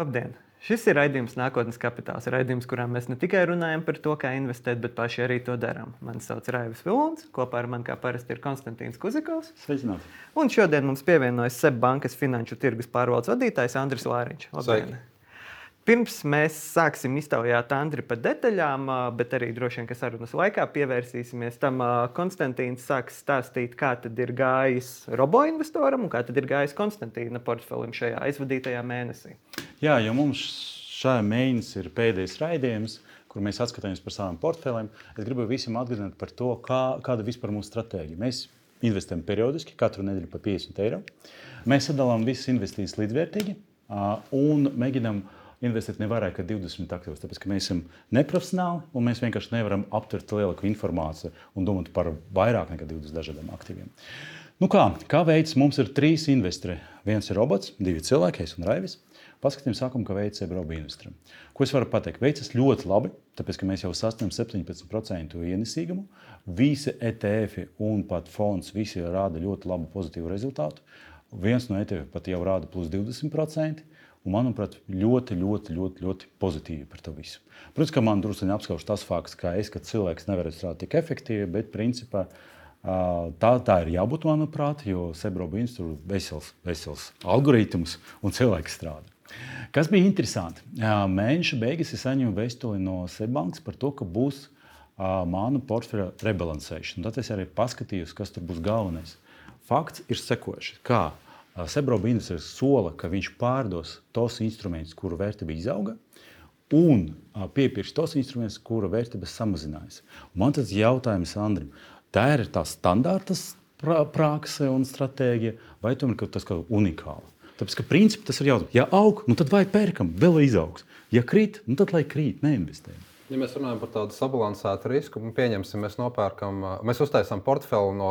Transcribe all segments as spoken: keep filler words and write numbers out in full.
Labdien! Šis ir raidījums Nākotnes kapitāls. Raidījums, kurā mēs ne tikai runājam par to, kā investēt, bet paši arī to darām. Mani sauc Raivis Vilons, kopā ar mani kā parasti ir Konstantīns Kuzikovs. Sveicināti! Un šodien mums pievienojas SEB bankas finanšu tirgus pārvaldes vadītājs Andris Lāriņš. Labdien! Pirms mēs sāksim iztaujāt Andri par detaļām, bet arī droši vien, ka sarunas laikā pievērsīsimies tam, Konstantīns sāks stāstīt, kā tad ir gājis roboinvestoram un kā tad ir gājis Konstantīna portfelim šajā aizvadītajā mēnesī. Jā, jo mums šajā mēnesī ir pēdējais raidījums, kur mēs atskatāmies par savām portfelēm. Es gribu visiem atgādināt par to, kā, kāda vispār mūsu stratēģija. Mēs investējam periodiski, katru nedēļu pa piecdesmit eiro. Mēs sadalām visas investīcijas līdzvērtīgi un mēģinām investēt ne vairāk kā divdesmit aktīvos, tāpēc, ka mēs esam neprofesionāli un mēs vienkārši nevaram aptvert lielāku informāciju un domāt par vairāk nekā divdesmit dažādiem aktīviem. Nu kā, kā veids? Mums ir trīs investori. Viens ir robots, divi cilvēki, es un Raivis. Paskatījām sākumu, ka veids SEB robo investoram. Ko es varu pateikt? Veicas ļoti labi, tāpēc, ka mēs jau sasniedzam septiņpadsmit procentu ienesīgumu. Visi E T F un pat fonds visi rāda ļoti labu pozitīvu rezultātu. Viens no E T F pat jau rāda plus divdesmit procenti. Un, manuprāt, ļoti, ļoti, ļoti, ļoti pozitīvi par to visu. Protams, ka man drusku neapskauž tas fakts, ka es, ka cilvēks nevar strādāt tik efektīvi, bet principā tā, tā ir jābūt, manuprāt, jo SEB robo investoru vesels, vesels algoritmus un cilvēks strādā. Kas bija interesanti? Mēneša beigas es saņēmu vēstuli no SEB bankas par to, ka būs manu portfeļa rebalansēšana. Tad es arī paskatījos, kas tur būs galvenais. Fakts ir sekojuši, kā SEB robo investors sola, ka viņš pārdos tos instrumentus, kuru vērtība izauga, un piepirks tos instrumentus, kuru vērtība samazinājās. Man tas jautājums Andrim, tā ir tā standartas prakse un stratēģija, vai tomēr tas kaut kā unikāla? Tāpēc, ka principi tas ir jautājums. Ja aug, nu tad vai pērkam, vēl izaugs. Ja krīt, nu tad lai krīt, neinvestējam. Ja mēs runājam par tādu sabalansētu risku, pieņemsim, mēs nopērkam, mēs uztaisām portfeli no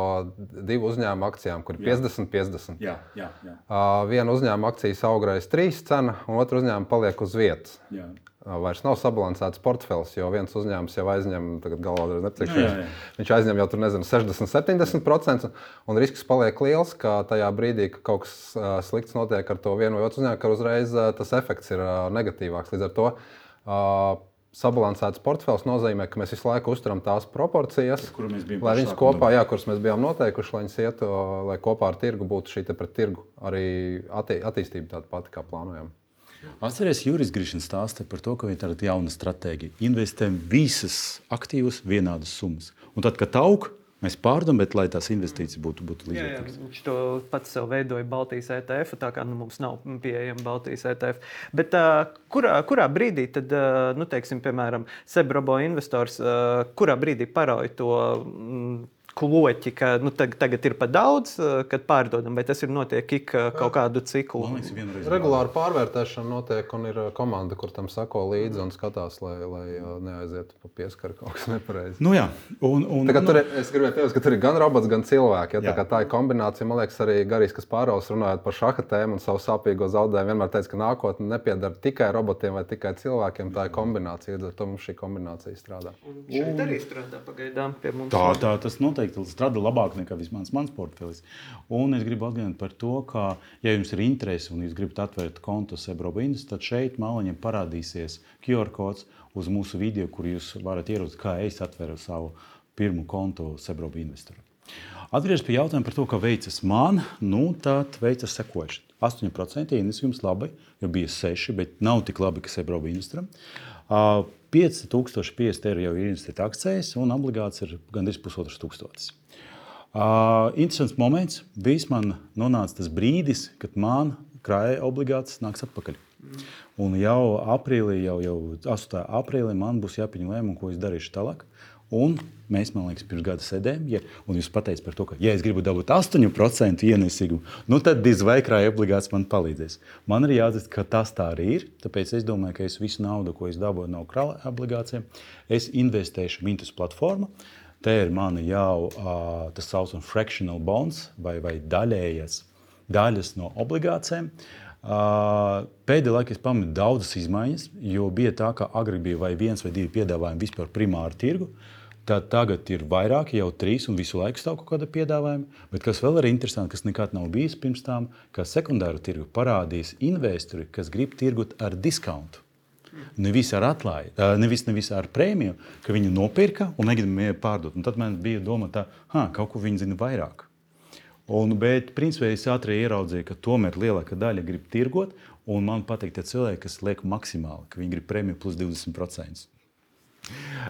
divu uzņēmumu akcijām, kur ir piecdesmit piecdesmit. Jā, jā, jā. Uh, viena uzņēmuma akcijas augrais trīs cena, un otra uzņēmuma paliek uz vietas. Jā. Uh, vairs nav sabalansēts portfels, jo viens uzņēmums jau aizņem, tagad galvā nepacīk, jā, jā. viņš aizņem jau tur, nezinu, sešdesmit septiņdesmit procentus, un risks paliek liels, ka tajā brīdī, ka kaut kas uh, slikts notiek ar to vienu vai otru uzņēmumu, ka uzreiz uh, tas efekts ir uh, negatīvāks. Līdz ar to uh, sabalansēts portfels nozīmē, ka mēs visu laiku uzturam tās proporcijas, lai viņas kopā, jā, kuras mēs bijām noteikuši, lai viņas ietu, lai kopā ar tirgu būtu šī te pret tirgu arī attī, attīstība tāda pati, kā plānojam. Atceries, Juris Grišins stāsta par to, ka viņa tāda jauna stratēģija. Investējam visas aktīvas vienādas summas. Un tad, kad aug, mēs pārdam, bet lai tās investīcijas būtu, būtu līdzvērtīgas. Viņš to pats sev veidoja Baltijas E T F, tā kā nu, mums nav pieejama Baltijas E T F. Bet uh, kurā, kurā brīdī tad, uh, nu, teiksim, piemēram, SEB robo investors, uh, kurā brīdī parauj to mm, kloķi, ka nu, tag, tagad ir pa daudz, kad pārdodam, vai tas ir notiek ik kaut kādu ciklu? Regulāra pārvērtēšana notiek un ir komanda, kur tam sako līdzi un skatās, lai, lai neaizietu pa pieskaru kaut kas nepareizi. Nu jā. Un, un, tā kā tur ir, es gribēju piebilst, ka tur ir gan robots, gan cilvēki. Ja? Tā, kā tā ir kombinācija, man liekas, arī Garijs Kasparovs runājot par šaha tēmu un savu sāpīgo zaudējumu, vienmēr teica, ka nākotne nepiedara tikai robotiem vai tikai cilvēkiem. Tā ir kombinācija, līdz ar to mums šī kombinācija strādā. Un šeit arī strādā pagaidām pie mums. Tā, tā, tas noteikti strādā labāk nekā vismaz mans portfelis. Un es gribu atgādināt par to, ka, ja jums ir interese un jūs gribat atvērt kontu SEB robo investoram, tad šeit māliņam parādīsies Q R kods uz mūsu video, kur jūs varat ieraudzīt, kā es atveru savu pirmo kontu SEB robo investoram. Atgriežoties pie jautājuma par to, kā veicas man, nu tad veicas sekojuši. astoņi procenti ienesījums labi, jo bija seši, bet nav tik labi, ka SEB robo investoram. Uh, pieci tūkstoši piecdesmit eiro jau ir investēti akcijas, un obligāts ir gandrīz pusotrs tūkstotis. Uh, interesants moments. Bijis man nonāca tas brīdis, kad man krāja obligāts nāks atpakaļ. Mm. Un jau aprīlī, jau, jau astotajā aprīlī man būs jāpieņem lēmumu, ko es darīšu tālāk. Un mēs, man liekas, pirms gada sēdējām, ja, un jūs pateicat par to, ka, ja es gribu dabūt astoņi procenti ienesīgumu, nu tad diez vai krāja obligāts man palīdzēs. Man ir jāatzīst, ka tas tā arī ir, tāpēc es domāju, ka es visu naudu, ko es dabūju no krāja obligācijām, es investēšu Mintos platformu. Te ir mani jau uh, tas saucam fractional bonds vai, vai daļējas daļas no obligācijām. Uh, pēdējā laikā es pamatu daudzas izmaiņas, jo bija tā, ka agri bija vai viens vai divi piedāvājumi vispār primāru tirgu. Tad tagad ir vairāk, jau trīs, un visu laiku stāv kaut kāda piedāvājuma. Bet kas vēl ir interesanti, kas nekad nav bijis pirms tam, ka sekundāru tirgu parādīs investori, kas grib tirgot ar diskontu. Nevis ar atlaidi, nevis, nevis ar prēmiju, ka viņi nopirka un negrib pārdot. Un tad man bija doma tā, ha, kaut ko viņi zina vairāk. Un, bet, principā, es ātri ieraudzīju, ka tomēr lielākā daļa grib tirgot, un man patīk tie cilvēki, kas liek maksimāli, ka viņi grib prēmiju plus divdesmit procenti.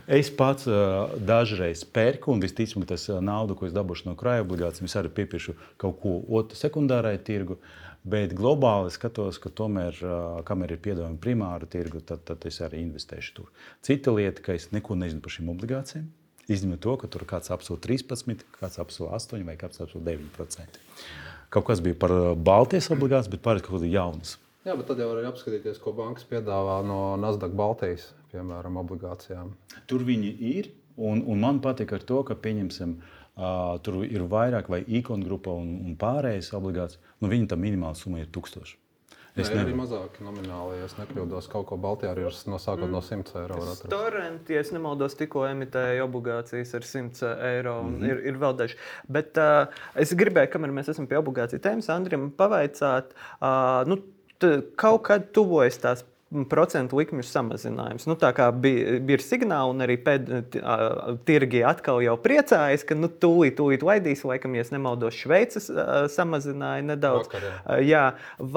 Es pats uh, dažreiz pērku, un visticamāk, tas uh, naudu, ko es dabūšu no krājuma obligācijām, es arī piepiršu kaut ko otru sekundārai tirgu, bet globāli skatos, ka tomēr, uh, kamēr ir piedāvājumi primāru tirgu, tad, tad es arī investēšu tur. Cita lieta, ka es neko nezinu par šīm obligācijām, izņemot to, ka tur kāds apsola trīspadsmit, kāds apsola astoņi vai kāds apsola deviņi procenti. Kaut kas bija par Baltijas obligācijas, bet pārējais kaut kas jaunas. Jā, bet tad jau var apskatīties, ko bankas piedāvā no Nasdaq Baltijas, piemēram, obligācijām. Tur viņi ir, un, un man patīk ar to, ka, pieņemsim, uh, tur ir vairāk vai Icon grupa un, un pārējais obligācijas, nu viņa tā minimāla summa ir tūkstoši. Es Jā, ir arī mazāk nomināli, ja es nekļūdos, kaut ko Baltijā ir nosākot mm. no simts eiro. Torrent, ja es nemaldos, tikko emitēja obligācijas ar simts eiro, un mm-hmm. ir, ir vēl daži. Bet uh, es gribēju, kamēr mēs esam pie obligāciju tēmas, Andrim pavaicāt, uh, nu, kaut kad tuvojas tās procentu likmju samazinājums. Nu, tā kā bija, bija signāli, un arī pēd, tirgi atkal jau priecājas, ka nu, tūlīt, tūlīt laidīs, laikam, ja es nemaldos, Šveices uh, samazināja nedaudz. Vakar, jā. Uh, jā.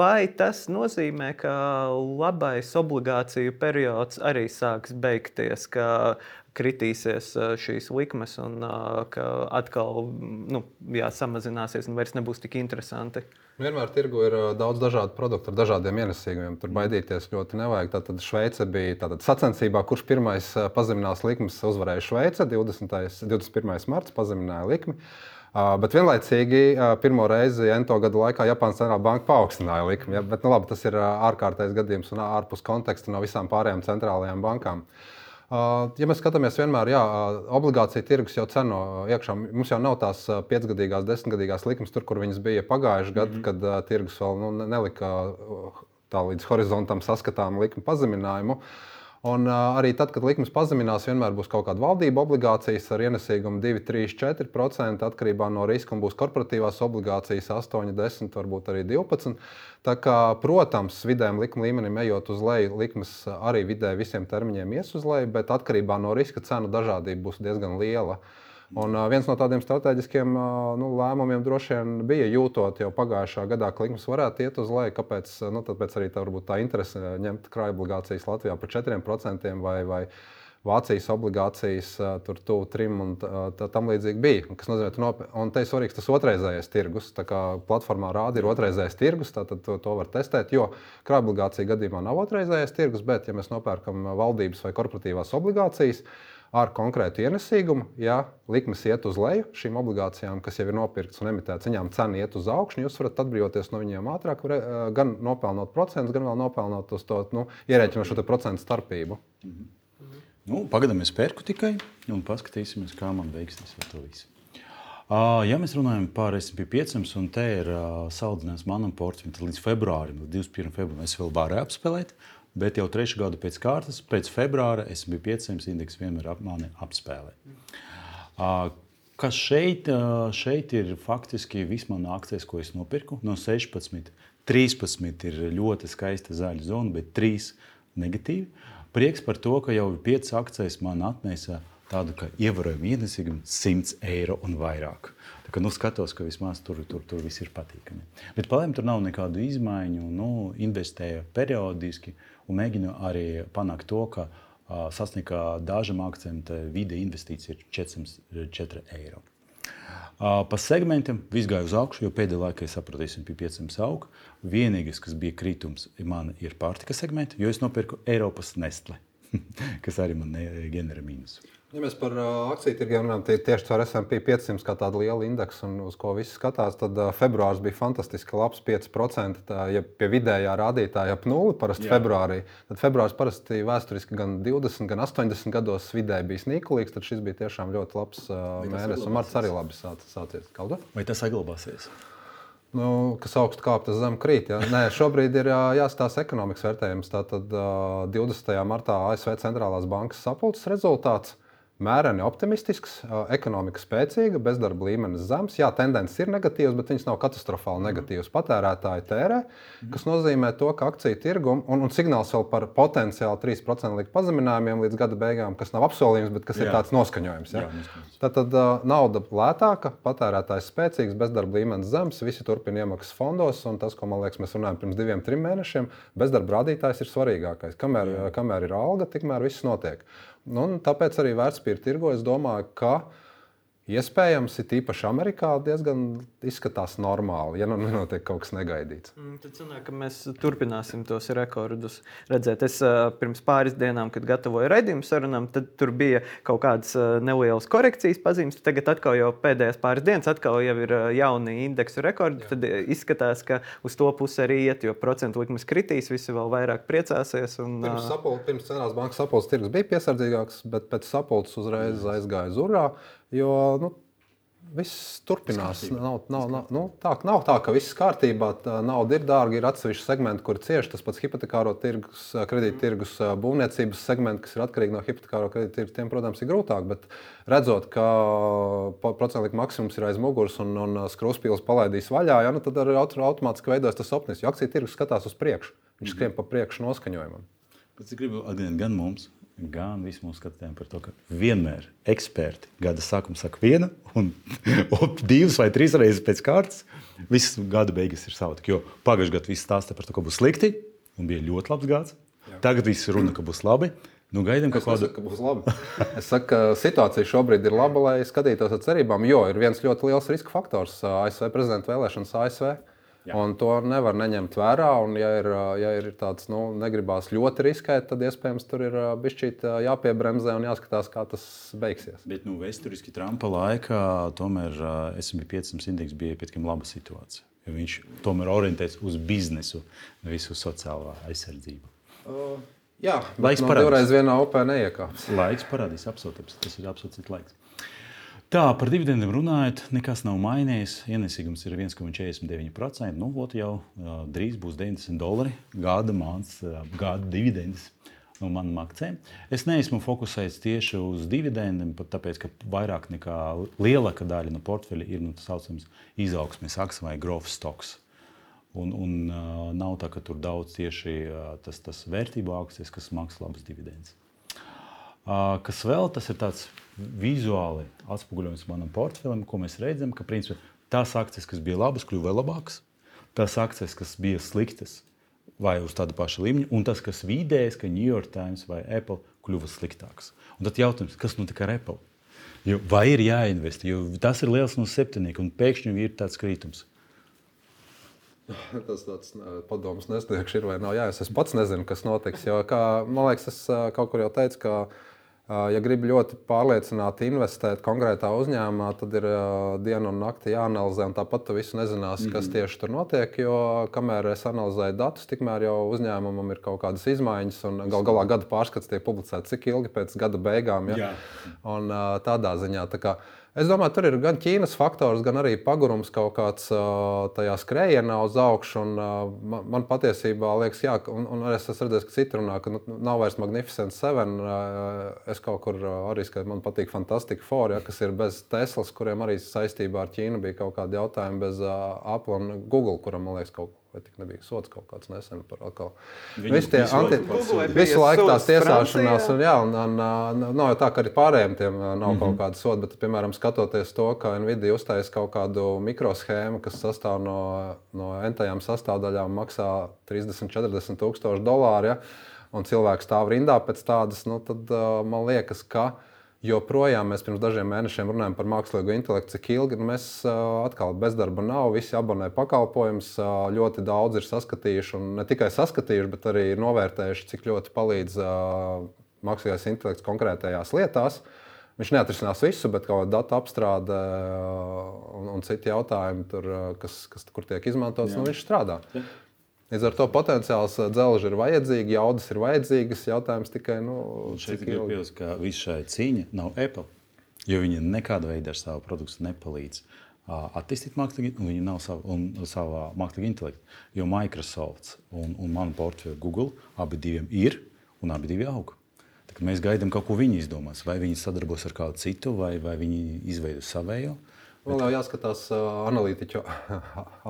Vai tas nozīmē, ka labais obligāciju periods arī sāks beigties, ka kritīsies šīs likmes un uh, ka atkal nu, jā, samazināsies un vairs nebūs tik interesanti? Vienmēr tirgu ir daudz dažādu produktu ar dažādiem ienesīgumiem. Tur baidīties ļoti nevajag. Tātad Šveice bija tātad sacensībā, kurš pirmais pazeminās likmes, uzvarēja Šveice. divdesmit pirmais marts pazemināja likmi. Uh, bet vienlaicīgi uh, pirmo reizi ento gadu laikā Japānas centrālā banka paaugstināja likmi. Ja? Bet, nu, labi, tas ir uh, ārkārtējs gadījums un ārpus konteksta no visām pārējām centrālajām bankām. Uh, ja mēs skatāmies vienmēr, jā, obligācija tirgus jau ceno iekšā. Mums jau nav tās piecgadīgās, desmitgadīgās likmes tur, kur viņas bija pagājuši gadu, mm-hmm. kad uh, tirgus vēl nu, nelika uh, tā līdz horizontam saskatām likmi pazeminājumu. Un uh, arī tad, kad likmes pazeminās, vienmēr būs kaut kāda valdība obligācijas ar ienesīgumu divi, trīs, četri procenti atkarībā no riska, un būs korporatīvās obligācijas astoņi, desmit, varbūt arī divpadsmit. Tā kā, protams, vidējiem likuma līmenim ejot uz leju, likmes arī vidēji visiem termiņiem ies uz leju, bet atkarībā no riska cenu dažādība būs diezgan liela. Un uh, viens no tādiem strateģiskiem uh, nu, lēmumiem droši vien bija jūtot jau pagājušā gadā, ka likmes varētu iet uz leju. Kāpēc? Nu, tāpēc arī tā, varbūt tā interese ņemt krājobligācijas Latvijā par četriem procentiem vai, vai Vācijas obligācijas uh, tur tuvu trim un tā, tā, tam līdzīgi bija. Kas nozīmē, nop... un te ir svarīgs tas otrreizējais tirgus. Tā kā platformā rāda ir otrreizējais tirgus, tad to, to var testēt, jo krājobligācija gadījumā nav otrreizējais tirgus, bet ja mēs nopērkam valdības vai korporatīvās obligācijas ar konkrētu ienesīgumu, ja likmes iet uz leju šīm obligācijām, kas jau ir nopirktas un emitētas, viņām cena iet uz augšu, jūs varat atbrīvoties no viņiem ātrāk, gan nopelnot procentus, gan vēl nopelnot uz to, nu, ierēķinot šo te procentu starpību. Mm-hmm. Nu, pagaidām es pērku tikai un paskatīsimies, kā man veiksties ar to visu. Uh, ja mēs runājam par S and P piecsimt, un te ir uh, saldinājums manam portfeļam, tad līdz februārim, līdz divdesmit pirmajam februārim es vēl varu apspēlēt, bet jau trešu gadu pēc kārtas, pēc februāra S and P piecsimt indeks vienmēr ap mani apspēlē. Uh, kas šeit, uh, šeit ir faktiski viss man akcijas, ko es nopirku, no sešpadsmit, trīspadsmit ir ļoti skaista zaļa zona, bet trīs negatīvi. Prieks par to, ka jau piecas akcijas man atnesa tādu, ka ievērojumu ienesīgumu simts eiro un vairāk. Tā kā nu skatos, ka vismaz tur, tur, tur viss ir patīkami. Bet palēm tur nav nekādu izmaiņu, nu, investēju periodiski un mēģinu arī panākt to, ka uh, sasniegt dažam akcijiem vide investīcija ir četri eiro. Uh, pa segmentiem viss gāja uz augšu, jo pēdējā laikā es sapratu, S and P piecsimt aug. Vienīgais, kas bija kritums, man ir pārtika segmenti, jo es nopirku Eiropas Nestle, kas arī man ģenerē mīnusu. Ja mēs par uh, akciju tirgiem runājam, tieši ar S and P piecsimt kā tādu lielu indeksu, un uz ko visi skatās, tad uh, februārs bija fantastiski labs pieci procenti, tā, ja pie vidējā rādītāja ap nulli, parasti Jā. Februārī. Tad februārs parasti vēsturiski gan divdesmit, gan astoņdesmit gados vidēji bija snīkulīgs, tad šis bija tiešām ļoti labs uh, mēnesis, un marts arī labi sāc, sācies. Kauda? Vai tas saglabāsies? Nu, kas augstu kāp, tas zem krīt. Ja? Nē, šobrīd ir jā, jāstāsta ekonomikas vērtējums. Tātad uh, divdesmitajā martā A S V centrālās bankas sapulces rezultāts. mēreni optimistisks, ekonomika spēcīga, bezdarba līmenis zems. Jā, tendences ir negatīvas, bet viņas nav katastrofāli negatīvas. Patērētāji tērē, kas nozīmē to, ka akciju tirgu un, un signāls vēl par potenciāli trīs procenti pazeminājumiem līdz gada beigām, kas nav apsolījums, bet kas jā. Ir tāds noskaņojums. Ja? Jā, tad, tad uh, nauda lētāka, patērētājs spēcīgs, bezdarba līmenis zems, visi turpina iemaksas fondos, un tas, ko man liekas, mēs runājam pirms diviem, trim mēnešiem, bezdarba rādītājs ir svarīgākais. Kamēr, kamēr ir alga, tikmēr viss notiek. Nu, tāpēc arī vērtspapīra tirgo es domāju, ka iespējams, ir īpaši Amerikā, diezgan izskatās normāli, ja nu nenotiek kaut kas negaidīts. Mm, tad sanāk, ka mēs turpināsim tos rekordus redzēt. Es uh, pirms pāris dienām, kad gatavoju raidījumu sarunām, tad tur bija kaut kādas uh, nelielas korekcijas pazīmes. Tagad atkal jau pēdējās pāris dienas atkal jau ir uh, jauni indeksu rekordi. Jā. Tad izskatās, ka uz to pusi arī iet, jo procentu likmes kritīs, visi vēl vairāk priecāsies. Un, uh... Pirms, sapul, pirms centrālās bankas sapulces tirgus bija piesardzīgāks, bet pēc sapulces uzreiz aizgāja uz urā. Jo nu, viss turpinās. Nav, nav, nav, nu, tā, nav tā, ka viss kārtībā, nauda ir dārga, ir atsevišķi segmenti, kur cieši tas pats hipotekāro tirgus, kredīta tirgus, būvniecības segmenti, kas ir atkarīgi no hipotekāro kredīta tirgus, tiem, protams, ir grūtāk. Bet redzot, ka procentu maksimums ir aiz muguras un, un skrūvspīlis palaidīs vaļā, ja, nu, tad arī automātiski veidojas tas optimisms. Jo akciju tirgus skatās uz priekšu. Viņš skrien pa priekšu noskaņojumam. Es gribu atgādināt gan mums, gan visu mūsu skatītājiem par to, ka vienmēr eksperti gada sākumā saka vienu, un, un divas vai trīs reizes pēc kārtas visas gada beigas ir savādāk. Jo pagājušajā gadā viss stāsta par to, ka būs slikti, un bija ļoti labs gads. Jā. Tagad viss runa, ka būs labi. Nu, gaidām, ka, kādu... nesaku, ka būs labi. Es saku, ka situācija šobrīd ir laba, lai skatītos ar cerībām, jo ir viens ļoti liels riska faktors A S V prezidenta vēlēšanas A S V. Jā. Un to nevar neņemt vērā. Un, ja ir, ja ir tāds, nu, negribās ļoti riskēt, tad iespējams tur ir bišķīt jāpiebremzē un jāskatās, kā tas beigsies. Bet nu, vēsturiski Trumpa laikā tomēr S and P piecsimt indeks bija pietiekami laba situācija. Jo viņš tomēr orientēts uz biznesu, nevis uz sociālo aizsardzību. Uh, jā, laiks bet no divreiz vienā upē neiekāps. Laiks parādīs, absolūti. Tas ir absolūti laiks. Tā, par dividendiem runājot, nekas nav mainījies. Ienesīgums ir viens komats četrdesmit deviņi procenti. Nu, jau uh, drīz būs deviņdesmit dolari gada mans, uh, gada dividendes no manām akcijām. Es neesmu fokusēts tieši uz dividendiem, pat tāpēc, ka vairāk nekā lielāka daļa no portfeļa ir nu, tā saucams izaugsmes akcijas vai growth stocks. Un, un uh, nav tā, ka tur daudz tieši uh, tas, tas vērtību akcijas, kas maksā labas dividendes. Uh, kas vēl, tas ir tāds vizuāli atspoguļojums manam portfelim, ko mēs redzam, ka principā tās akcijas, kas bija labas, kļuva vēl labākas, tās akcijas, kas bija sliktas vai uz tādu pašu līmeņu, un tas, kas vidējais, ka New York Times vai Apple kļuva sliktāks. Un tad jautājums, kas notika ar Apple? Jo, vai ir jāinvestē, jo tas ir liels no septinieku, un pēkšņi ir tāds krītums. Tas tāds padoms nesniegšu ir vai nav. Jā, es, es pats nezinu, kas notiks, jo, kā, man liekas, es kaut kur jau teicu, ka ja gribi ļoti pārliecināti investēt konkrētā uzņēmumā, tad ir dienu un nakti jāanalizē, un tāpat tu visu nezināsi, kas tieši tur notiek, jo kamēr es analizēju datus, tikmēr jau uzņēmumam ir kaut kādas izmaiņas, un gal galā gada pārskats tiek publicēts cik ilgi pēc gada beigām. Ja? Jā. Un tādā ziņā. Tā kā, es domāju, tur ir gan Ķīnas faktors, gan arī pagurums kaut kāds tajā skrējienā uz augšu. Un, man, man patiesībā liekas, jā, un, un arī es esmu redzējis, ka citi runā, ka nu, nav vairs Magnificent Seven. Es kaut kur arī skatu, man patīk Fantastic Four, ja, kas ir bez Teslas, kuriem arī saistībā ar Ķīnu bija kaut kādi jautājumi, bez Apple un Google, kuram, man liekas, kaut vai tik nebija sots kaut kāds nesen par atkal. Visi tie anti... Visu laiku tās tiesāšanās, un jā, un, un, un nav jau tā, ka arī pārējiem tiem nav mm-hmm. kaut kāda soda, bet, piemēram, skatoties to, ka Nvidia uztais kaut kādu mikroshēmu, kas sastāv no, no entajām sastāvdaļām, maksā trīsdesmit četrdesmit tūkstoši dolāru, ja, un cilvēks stāv rindā pēc tādas, nu, tad uh, man liekas, ka joprojām mēs pirms dažiem mēnešiem runājam par mākslīgo intelektu, cik ilgi. Mēs uh, atkal bezdarba nav, visi abonē pakalpojumus, uh, ļoti daudz ir saskatījuši, un ne tikai saskatījuši, bet arī novērtējuši, cik ļoti palīdz uh, mākslīgais intelekts konkrētajās lietās. Viņš neatrisinās visu, bet kaut kāda datu apstrāde uh, un, un citi jautājumi, tur, uh, kas, kas kur tiek izmantots, nu, viņš strādā. Ja. Līdz ar to potenciāls dzelži ir vajadzīgi, jaudas ir vajadzīgas, jautājums tikai, nu, cik ilgi. Piebilst, ka viss šai cīņa nav Apple, jo viņi nekāda veida ar savu produktu nepalīdz uh, attīstīt mākslīgi, un viņi nav savu, un, savā mākslīgi intelektu. Jo Microsoft un, un mana portfeļa Google abi diviem ir, un abi divi aug. Tad mēs gaidām kaut ko viņi izdomās. Vai viņi sadarbos ar kādu citu, vai, vai viņi izveidos savējo. Vēl jau jāskatās uh, analītiķu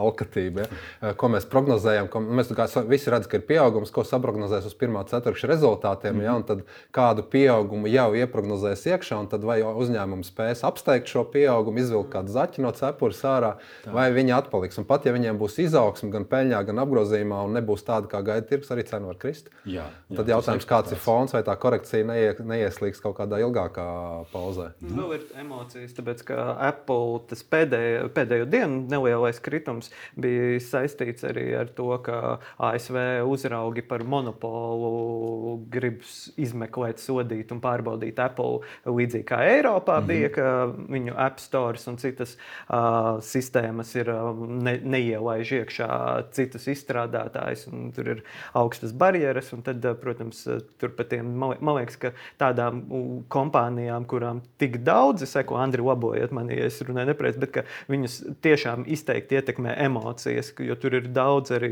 alkatība, ja? Ko mēs prognozējam. Ko mēs visi redzam, ka ir pieaugums, ko saprognozēs uz pirmā ceturkšņa rezultātiem, mm-hmm. ja? Un tad kādu pieaugumu jau ieprognozēs iekšā, un tad vai uzņēmums spēs apsteigt šo pieaugumu, izvilkt kādu zaķi no cepures ārā, tā. Vai viņi atpaliks. Un pat ja viņiem būs izaugsme gan peļņā, gan apgrozījumā, un nebūs tāda, kā gaida tirgus, arī cena var krist. Jā, jā, tad jautājums, kāds ir fons, vai tā korekcija neie, neieslīgs kaut kādā ilgākā pauzē. Mm. Vēl ir emocijas, tāpēc ka Apple tas pēdējo, pēdējo dienu nelielais kritums bija saistīts arī ar to, ka A S V uzraugi par monopolu grib izmeklēt, sodīt un pārbaudīt Apple līdzīgi kā Eiropā mm-hmm. bija, ka viņu App Stores un citas uh, sistēmas ir uh, ne, neielaiž iekšā citus izstrādātājus, un tur ir augstas barjeras, un tad, uh, protams, uh, tur pat tiem, man liekas, ka tādām uh, kompānijām, kurām tik daudzi seko, Andri, labojiet mani, ja es runāju nepareizi, bet ka viņus tiešām izteikti ietekmē emocijas, jo tur ir daudz arī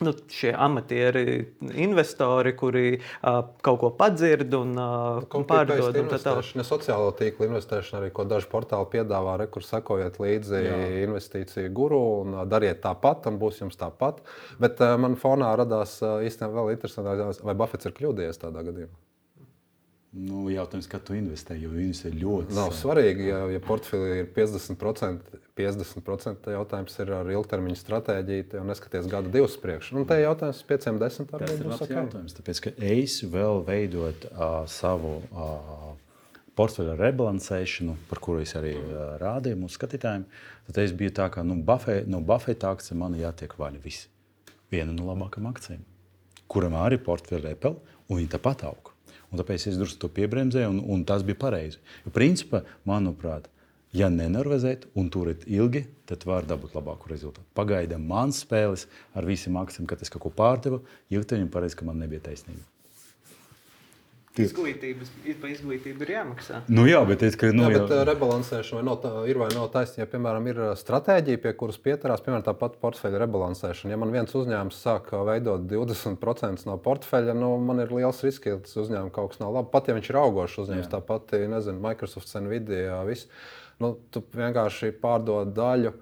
nu, šie amatieri, investori, kuri uh, kaut ko padzird un uh, pārdod. Un tā ne sociālo tīklu investēšana, arī ko daži portāli piedāvā, re, kur sekojiet līdzi Jā. investīciju guru un uh, dariet tāpat, un būs jums tāpat. Bet uh, man fonā radās uh, īstenībā vēl interesanti, vai Buffets ir kļūdījies tādā gadījumā? Nu, jautājums, kad tu investē, jo investē ļoti. Nav svarīgi, ja, ja portfelī ir piecdesmit procenti, piecdesmit procenti jautājums ir ar ilgtermiņa stratēģiju, te jau neskaties gadu divus priekš. Un te jautājums pieciem desmit arī būs okay. jautājums, tāpēc, ka es vēl veidot uh, savu uh, portfeļa rebalansēšanu, par kuru es arī uh, rādīju mūsu skatītājiem, tad es biju tā, ka nu, Buffett, no Buffett akcija man jātiek vaļa visi. Viena no labākām akcijām, kuram arī portfeļa Apple, un viņi tāpat aug. Un tāpēc es drusku to piebremzēju, un, un tas bija pareizi. Jo, principā, manuprāt, ja nenervozēt un turēt ilgi, tad var dabūt labāku rezultātu. Pagaidām mans spēles ar visiem akcijiem, kad es kaut ko pārdevu, ilgtermiņā pareizi, ka man nebija taisnība. Izglītības, par izglītību ir jāmaksā. Nu jā, bet es, ka... Nu, jā, bet jā. Rebalansēšana vai nav tā, ir vai nav taisnība, ja, piemēram, ir stratēģija, pie kuras pieturās, piemēram, tāpat portfeļa rebalansēšana. Ja man viens uzņēmums sāk veidot divdesmit procenti no portfeļa, nu, man ir liels risks, ja tas uzņēmums kaut kas nav labi. Pat ja viņš ir augošs uzņēmums, jā. Tāpat, nezinu, Microsoft, Nvidia, viss. Nu, tu vienkārši pārdod daļu,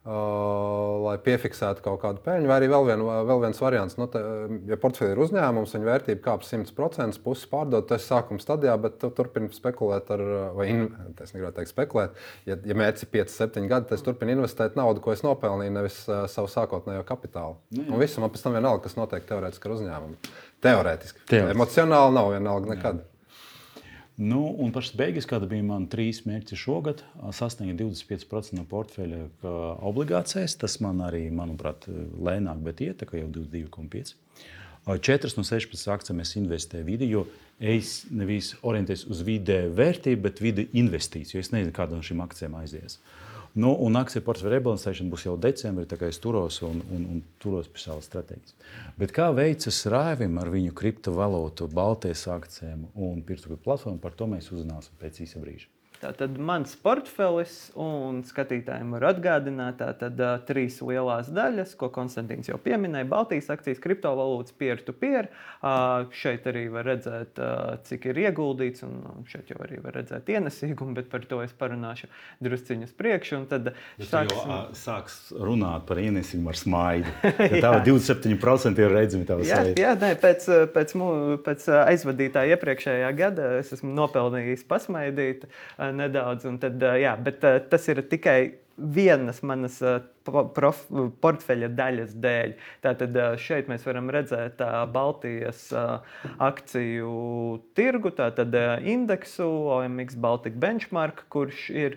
Uh, lai piefiksētu kaut kādu peļņu, vai arī vēl, vien, vēl viens variants. Nu, te, ja portfeļi ir uzņēmums, viņa vērtība kāp simt procenti, pusi pārdod, tas ir sākuma stadijā, bet tu turpini spekulēt ar, vai in, es negribētu teikt spekulēt, ja, ja mērķis ir pieci, septiņi gadi, tad es turpinu investēt naudu, ko es nopelnīju, nevis uh, savu sākotnējo kapitālu. Jā, jā. Un visu man pēc tam vienalga, kas notiek teorētiski ar uzņēmumu. Teorētiski. Teorētiski. Emocionāli nav vienalga nekad. Jā. Nu, un pašas beigas, kāda bija man trīs mērķi šogad, sasniegt divdesmit pieci procenti no portfeļa obligācijas. Tas man arī, manuprāt, lēnāk, bet ieteka jau divdesmit divi komats pieci. četras no sešpadsmit akcijām es investēju vidi, jo es nevis orientējos uz vidēju vērtību, bet vidi investīciju, jo es nezinu, kāda no šīm akcijām aizies. Nu, un akciju portfeļa rebalansēšana būs jau decembrī, tā kā es turos un, un, un turos pie savas stratēģijas. Bet kā veicas Raivim ar viņu kriptovalūtu, Baltijas akcijiem un peer-to-peer platformu, par to mēs uzzināsim pēc īsa brīža. Tātad mans portfelis, un skatītājiem var atgādināt, tātad uh, trīs lielās daļas, ko Konstantīns jau pieminēja, Baltijas akcijas, kriptovalūtas, peer-to-peer. Uh, šeit arī var redzēt, uh, cik ir ieguldīts, un šeit jau arī var redzēt ienesīgumu, bet par to es parunāšu drusciņu uz priekšu. Un tad sāksim... jau uh, sāks runāt par ienesīgumu ar smaidu. Ja tā divdesmit septiņi procenti ir redzami tava slaida. Jā, jā nē, pēc, pēc, pēc aizvadītā iepriekšējā gada es esmu nopelnījis pasmaidīt nedaudz, un tad, jā, bet tas ir tikai vienas manas prof, portfeļa daļas dēļ. Tātad šeit mēs varam redzēt Baltijas akciju tirgu, tātad indeksu, O M X Baltic Benchmark, kurš ir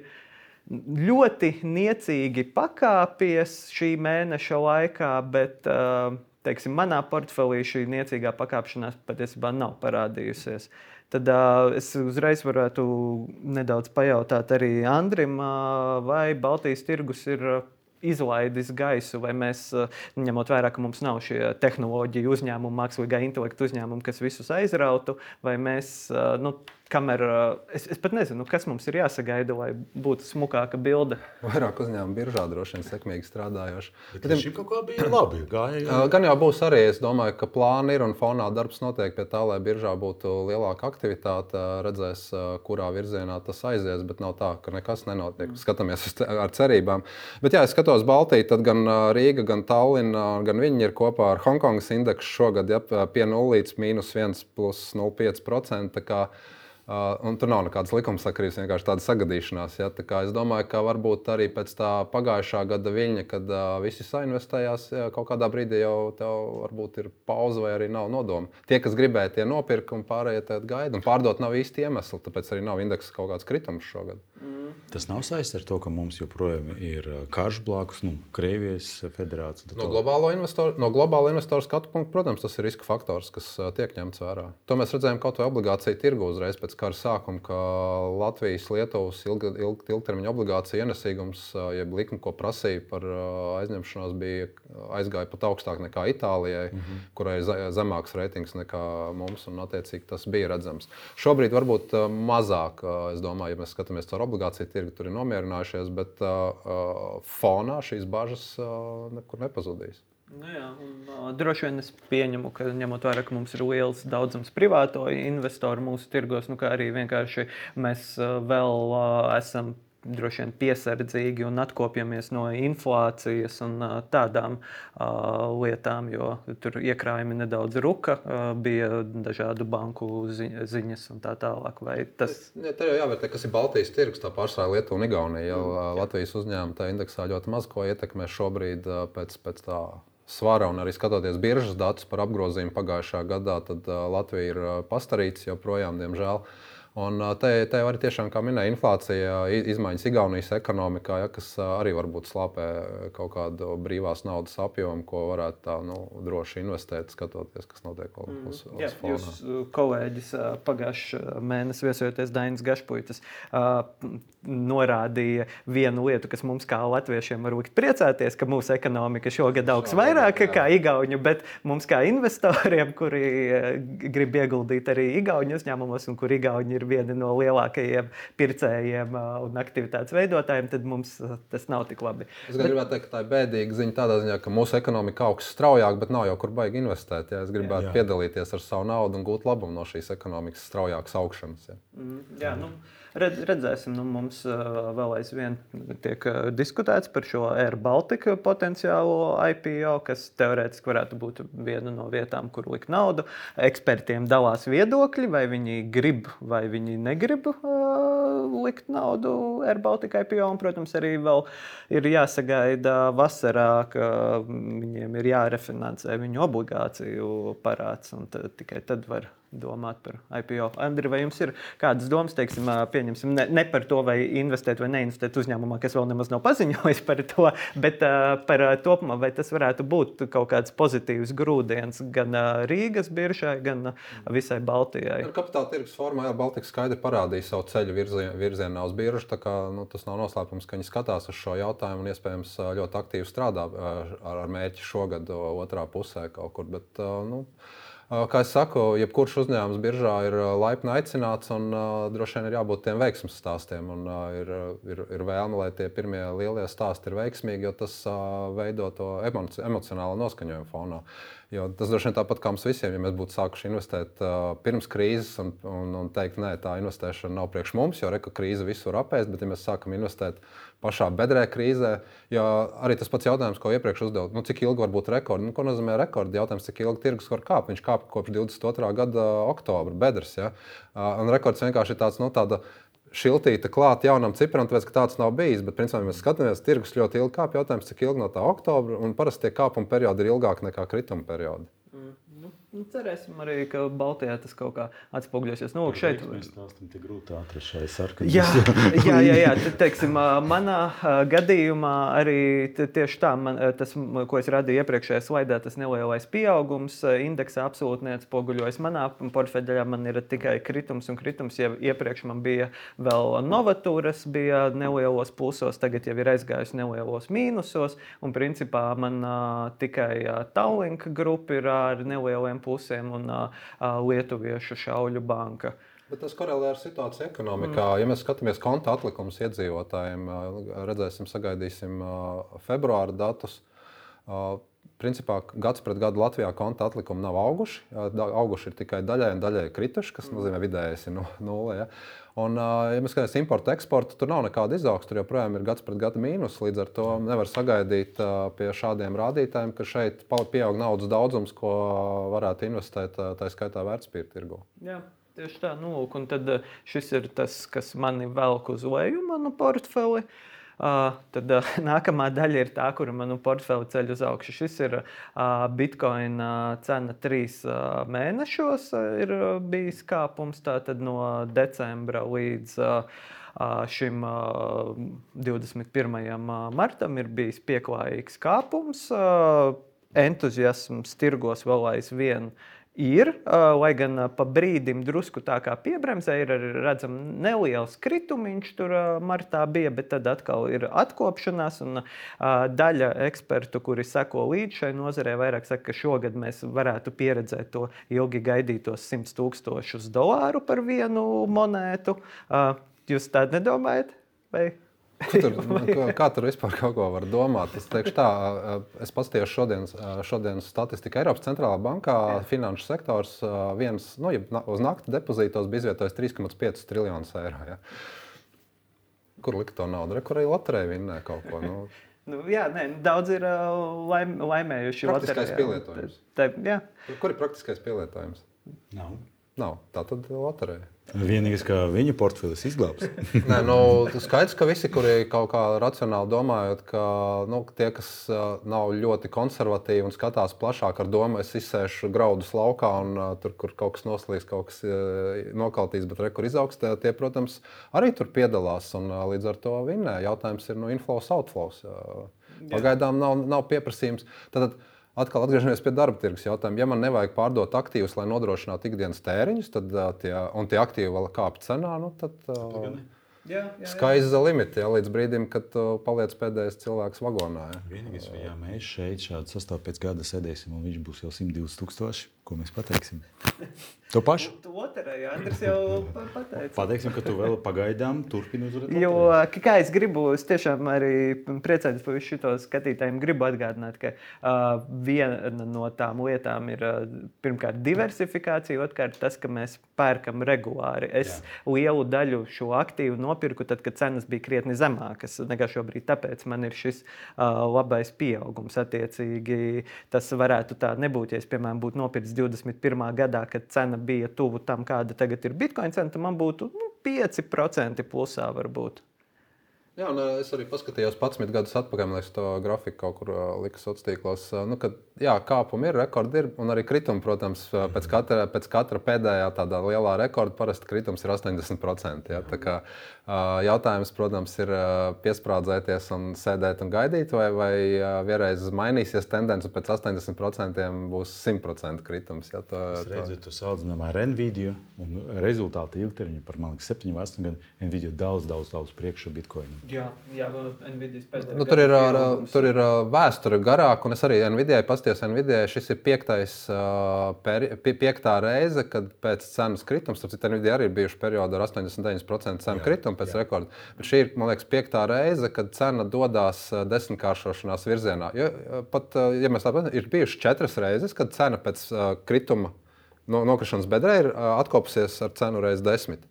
ļoti niecīgi pakāpies šī mēneša laikā, bet, teiksim, manā portfelī šī niecīgā pakāpšanās patiesībā nav parādījusies. Tad uh, es uzreiz varētu nedaudz pajautāt arī Andrim, uh, vai Baltijas tirgus ir izlaidis gaisu, vai mēs, ņemot vērā, ka mums nav šie tehnoloģiju uzņēmumi, mākslīgā intelekta uzņēmumi, kas visus aizrautu, vai mēs, nu, kamēr, es, es pat nezinu, kas mums ir jāsagaida, lai būtu smukāka bilde. Vairāk uzņēmumu biržā droši vien sekmīgi strādājoši. Bet Bet šim kaut kā bija labi. Gāja, gan jau būs arī, es domāju, ka plāni ir un fonā darbs notiek pie tā, lai biržā būtu lielāka aktivitāte, redzēs, kurā virzienā tas aizies, bet nav tā, ka nekas nenotiek. Skatāmies uz ar cerībām. Bet jā, es skatos Baltiju, tad gan Rīga, gan Tallina, gan viņi ir kopā ar Hongkongas indeksu šogad, ja, pie nulle līdz mīnus viens plus nulle komats pieci procenti. Uh, un tur nav nekādas likumsakarības, vienkārši tāda sagadīšanās. Ja? Tā kā es domāju, ka varbūt arī pēc tā pagājušā gada viļņa, kad uh, visi sainvestējās, ja, kaut kādā brīdī jau tev varbūt ir pauze vai arī nav nodoma. Tie, kas gribēja, tie nopirka un pārējie tagad gaida. Un pārdot nav īsti iemesli, tāpēc arī nav indeksa kaut kāds kritums šogad. Mm. Tas nav saistīts ar to, ka mums joprojām ir karš blakus, nu, Krievijas federācija. No globālo investoru, no globāla investoru skatu punkta, protams, tas ir riska faktors, kas uh, tiek ņemts vērā. To mēs redzējām kaut vai obligāciju tirgu uzreiz pēc kara sākuma, ka Latvijas, Lietuvas ilg, ilg, ilgtermiņa obligācija ienesīgums, jeb likme, ko prasīja par aizņemšanos, bija aizgāja pat augstāk nekā Itālijai, mm-hmm. kurai ir zemāks reitings nekā mums, un attiecīgi tas bija redzams. Šobrīd varbūt mazāk, es domāju, ja mēs skatāmies caur obligāciju tirgu, tur ir nomierinājušies, bet uh, fonā šīs bažas uh, nekur nepazudīs. Nu jā, un, uh, droši vien es pieņemu, ka ņemot vērā, ka mums ir liels daudzums privāto investoru mūsu tirgos, nu, kā arī vienkārši mēs uh, vēl uh, esam droši vien piesardzīgi un atkopjamies no inflācijas un uh, tādām uh, lietām, jo tur iekrājumi nedaudz ruka, uh, bija dažādu banku zi ziņas un tā tālāk. Vai tas... Ja, te jau jāvērtē, kas ir Baltijas tirgus, tā pārsvarā Lietuva un Igaunija. Jau mm. Latvijas uzņēmuma tā indeksā ļoti maz ko ietekmē šobrīd uh, pēc, pēc tā svara, un arī skatoties biržas datus par apgrozījumu pagājušā gadā, tad uh, Latvija ir uh, pastarīts joprojām, diemžēl. Un te, te arī tiešām, kā minēja, inflācija, izmaiņas Igaunijas ekonomikā, ja, kas arī varbūt slāpē kaut kādu brīvās naudas apjomu, ko varētu tā, nu, droši investēt, skatoties, kas notiek uz, uz Jā, fonā. Jūs kolēģis pagājušā mēnesi viesojoties Dainis Gašpuitis norādīja vienu lietu, kas mums kā latviešiem var likt priecāties, ka mūsu ekonomika šogad augs vairāk kā igauņu, bet mums kā investoriem, kuri grib ieguldīt arī igauņu uzņēmumos un kur igauņi ir vieni no lielākajiem pircējiem un aktivitātes veidotājiem, tad mums tas nav tik labi. Es bet... gribētu teikt, ka tā ir bēdīga ziņa tādā ziņā, ka mūsu ekonomika augs straujāk, bet nav jau kur baigi investēt. Ja? Es gribētu jā, jā. piedalīties ar savu naudu un gūt labumu no šīs ekonomikas straujākas augšanas. Ja? Mm, jā, nu, redz, redzēsim, nu, mums uh, vēl aizvien tiek uh, diskutēts par šo Air Baltica potenciālo I P O, kas teorētiski varētu būt viena no vietām, kur likt naudu. Ekspertiem dalās viedokļi, vai viņi grib vai viņi negrib uh, likt naudu Air Baltica I P O, un, protams, arī vēl ir jāsagaida vasarā, ka viņiem ir jārefinansē viņu obligāciju parāds, un tad, tikai tad var domāt par I P O. Andri, vai jums ir kādas domas, teiksim, pieņemsim, ne, ne par to, vai investēt vai neinvestēt uzņēmumā, kas vēl nemaz nav paziņojis par to, bet uh, par topumā, vai tas varētu būt kaut kāds pozitīvs grūdiens gan uh, Rīgas biržai, gan uh, visai Baltijai? Kapitāla tirgus formā, jā, Baltika skaidri parādīja savu ceļu virzien, virzienā uz biržu, tā kā, nu, tas nav noslēpums, ka viņi skatās uz šo jautājumu un iespējams ļoti aktīvi strādā ar, ar mērķi šogad otrā pusē kaut kur, bet, uh, nu, kā es saku, jebkurš uzņēmums biržā ir laipni aicināts un uh, droši vien ir jābūt tiem veiksmes stāstiem. Un, uh, ir, ir, ir vēlme, lai tie pirmie lielie stāsti ir veiksmīgi, jo tas uh, veido to emoci emocionālo noskaņojumu fonā. Jo tas droši vien tāpat kā mums visiem, ja mēs būtu sākuši investēt uh, pirms krīzes un, un, un teikt, nē, tā investēšana nav priekš mums, jo reka krīze visur apēst, bet ja mēs sākam investēt pašā bedrē krīzē, jo arī tas pats jautājums, ko iepriekš uzdevu, nu, cik ilgi var būt rekordi? Nu, ko nozīmē rekordi? Jautājums, cik ilgi tirgus var kāpt? Viņš kāpa kopš divdesmit otrā gada oktobra bedres, ja? Un rekords vienkārši ir tāds, nu, tāda šiltīta klāt jaunam ciparam, tāpēc, ka tāds nav bijis, bet, principā, ja mēs skatāmies, tirgus ļoti ilgi kāp, jautājums, cik ilgi no tā oktobra, un parasti tie kāpuma periodi ir ilgāki nekā krituma periodi. Mm, nu, Nu, cerēsim arī, ka Baltijā tas kaut kā atspoguļosies. Nu, šeit mēs stāstam tik grūti atrast šai sarkanai. Jā, jā, jā, jā. Tad, teiksim, manā gadījumā arī tieši tā, man, tas, ko es radīju iepriekšējā slaidā, tas nelielais pieaugums indeksā absolūti neatspoguļojas. Manā portfeļā man ir tikai kritums un kritums. Jau iepriekš man bija vēl Novatūras, bija nelielos plusos, tagad jau ir aizgājusi nelielos mīnusos. Un principā man uh, tikai uh, Tallink grupa ir ar nelieliem plusiem un uh, Lietuviešu šauļu banka. Bet tas korelē ar situāciju ekonomikā. Mm. Ja mēs skatāmies konta atlikumus iedzīvotājiem, redzēsim, sagaidīsim februāra datus. Principā gads pret gadu Latvijā konta atlikumi nav auguši. Auguši ir tikai daļai un daļai krituši, kas nozīmē vidējais ir nulle. Ja? Un, ja mēs skatāmies importu, eksportu, tur nav nekāda izaugsme, tur joprojām ir gads pret gadu mīnus. Līdz ar to nevar sagaidīt pie šādiem rādītājiem, ka šeit pieaug naudas daudzums, ko varētu investēt, tā skaitā vērtspapīru tirgū. Jā, tieši tā. Nu, un tad šis ir tas, kas mani velk uz leju manu portfeli. Uh, tad uh, nākamā daļa ir tā, kura manu portfeli ceļ uz augšu. Šis ir uh, Bitcoin uh, cena trīs uh, mēnešos. Uh, ir uh, bijis kāpums tātad no decembra līdz uh, šim uh, divdesmit pirmajam martam ir bijis pieklājīgs kāpums. Uh, entuziasms tirgos vēl aizvien ir, lai gan pa brīdim drusku tā kā piebremzē, ir arī redzam neliels kritumiņš tur martā bija, bet tad atkal ir atkopšanās un daļa ekspertu, kuri seko līdz šai nozarē, vairāk saka, ka šogad mēs varētu pieredzēt to ilgi gaidītos simts tūkstošus dolāru par vienu monētu. Jūs tādu nedomājat? Vai? Tur, kā tur vispār kaut ko var domāt? Es teikšu tā, es paskatījos šodienas, šodienas statistiku Eiropas centrālā bankā, finanšu sektors viens, nu, uz nakti depozītos bija izvietojis trīs komats pieci triljonus eiro. Ja. Kur likt to naudu? Re, kur arī loterija vinnē kaut ko? Nu. Nu, jā, nē, daudz ir laim, laimējuši loterijā. Praktiskais pielietojums. Tā, jā. Kur ir praktiskais pielietojums? Nav. Nav. Tā tad loterija. Vienīgais, ka viņa portfelis izglābs. Nē, nu, skaidrs, ka visi, kuri kaut kā racionāli domājot, ka nu, tie, kas uh, nav ļoti konservatīvi un skatās plašāk ar domu, es izsēšu graudus laukā un uh, tur, kur kaut kas noslīgs, kaut kas uh, nokaltīs, bet re, kur izaugs, tie, tie, protams, arī tur piedalās un uh, līdz ar to vinnē. Jautājums ir nu, inflows, outflows. Uh, pagaidām nav, nav pieprasījums. Tātad, atkal atgriežamies pie darba tirgus jautājuma. Ja man nevajag pārdot aktīvus, lai nodrošinātu ikdienas tēriņus, tad, tie, un tie aktīvi vēl kāp cenā, nu, tad uh, jā, jā, sky's the limit, ja, līdz brīdim, kad uh, paliec pēdējais cilvēks vagonā. Ja. Vienīgais, ja mēs šeit šādu sastāvu pēc gada sēdēsim, un viņš būs jau simt divdesmit tūkstoši, ko mēs pateiksim? To pašu? Tu loterēji, Andris jau pateica. Pateiksim, ka tu vēl pagaidām turpini uzvarēt. Jo, kā es gribu, es tiešām arī priecājos par visu šito skatītājiem, gribu atgādināt, ka uh, viena no tām lietām ir uh, pirmkārt diversifikācija, otrkārt tas, ka mēs pērkam regulāri. Es Jā. lielu daļu šo aktīvu nopirku tad, kad cenas bija krietni zemākas, nekā šobrīd, tāpēc man ir šis uh, labais pieaugums. Attiecīgi, tas varētu tā nebūt, ja es, piemēram, būtu nopircis divdesmit pirmā gadā, kad cena bija tuvu tam, kāda tagad ir Bitcoin cena, tad man būtu nu, pieci procenti plusā varbūt. Jā, un es arī paskatījos padsmit gadus atpakaļ, lai es to grafiku kaut kur liku sociālos tīklos. Nu, kad, jā, kāpumi ir, rekordi ir, un arī kritumi, protams, pēc katra, pēc katra pēdējā tādā lielā rekorda parasti kritums ir astoņdesmit procenti. Ja? Tā kā jautājums, protams, ir piesprādzēties un sēdēt un gaidīt, vai, vai vienreiz mainīsies tendence, un pēc astoņdesmit procentiem būs simt procenti kritums. Ja? To, es redzu, tu salīdzinājumā ar Nvidia, un rezultāti ilgtermiņi par, man liekas, septiņi vai astoņi gadu, Nvidia daudz, daudz, daudz priekšu Bitcoinu. Jā, jā, Nvidias pēdējā. Nu, tur ir, tur ir vēsture garāka, un es arī Nvidijai pastījos. Nvidijai šis ir piektais, peri, piektā reize, kad pēc cenas kritums, tad Nvidijai arī ir bijuši periodi ar astoņdesmit deviņi procenti cenu kritumu pēc jā. rekorda. Bet šī ir, man liekas, piektā reize, kad cena dodās desmitkāršošanās virzienā. Jo, pat, ja mēs tā ir bijuši četras reizes, kad cena pēc krituma no, nokrišanas bedrē ir atkopusies ar cenu reiz desmit.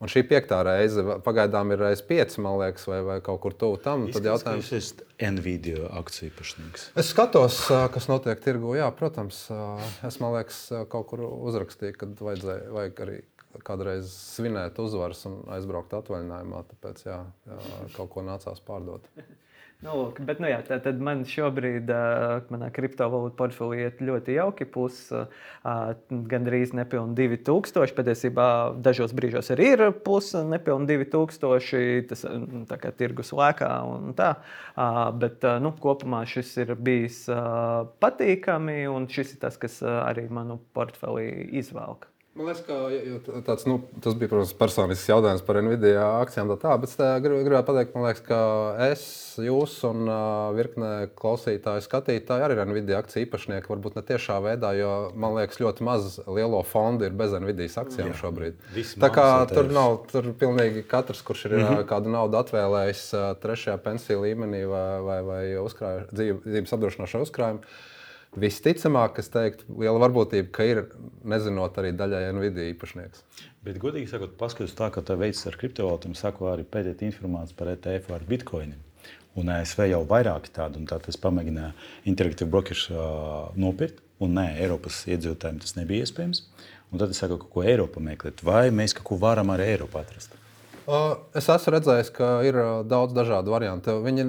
Un šī piektā reize, pagaidām ir reiz pieci, man liekas, vai, vai kaut kur tuvu tam. Tad jautājums... Jūs esat Nvidia akciju īpašnieks. Es skatos, kas notiek tirgu. Jā, protams, es, man liekas, kaut kur uzrakstīju, kad vajadzēja, vajag arī kādreiz svinēt uzvaras un aizbraukt atvaļinājumā, tāpēc jā, jā, kaut ko nācās pārdot. Nu, lūk, bet, nu jā, tā, tad man šobrīd uh, manā kriptovalūtu portfelī iet ļoti jauki, plus uh, gandrīz nepilni divi tūkstoši. Patiesībā dažos brīžos arī ir plus nepilni divi tūkstoši, tas tā kā tirgus lēkā un tā. Uh, bet uh, nu, kopumā šis ir bijis uh, patīkami, un šis ir tas, kas uh, arī manu portfelī izvelk. Man liekas, ka tāds, nu, tas bija protams, personisks jautājums par Nvidia akcijām. Tā, tā, bet es gribēju pateikt, man liekas, ka es, jūs un uh, virkne klausītāju, skatītāju arī ir Nvidia akciju īpašnieki. Varbūt ne tiešā veidā, jo man liekas, ļoti maz lielo fondu ir bez Nvidias akcijām Jā. šobrīd. Tā kā tur nav tur pilnīgi katrs, kurš ir mm-hmm. kādu naudu atvēlējis uh, trešajā pensiju līmenī vai, vai, vai uzkrāju, dzīves apdrošināšanas uzkrājumu. Visticamāk, es teiktu, liela varbūtība, ka ir, nezinot arī daļai Nvidia īpašnieks. Bet, godīgi sakot, paskatās tā, ka tā veids ar kriptovalūtām, sāku arī pētīt informāciju par E T F ar bitkoiniem. Un A S V jau vairāki tādi, un tā tas pamēģināja Interactive Brokers uh, nopirkt, un nē, Eiropas iedzīvotājiem tas nebija iespējams. Un tad es saku, kaut ko Eiropa meklēt, vai mēs kaut ko varam arī Eiropā atrast. Es esmu redzējis, ka ir daudz dažādu variantu. Viņi,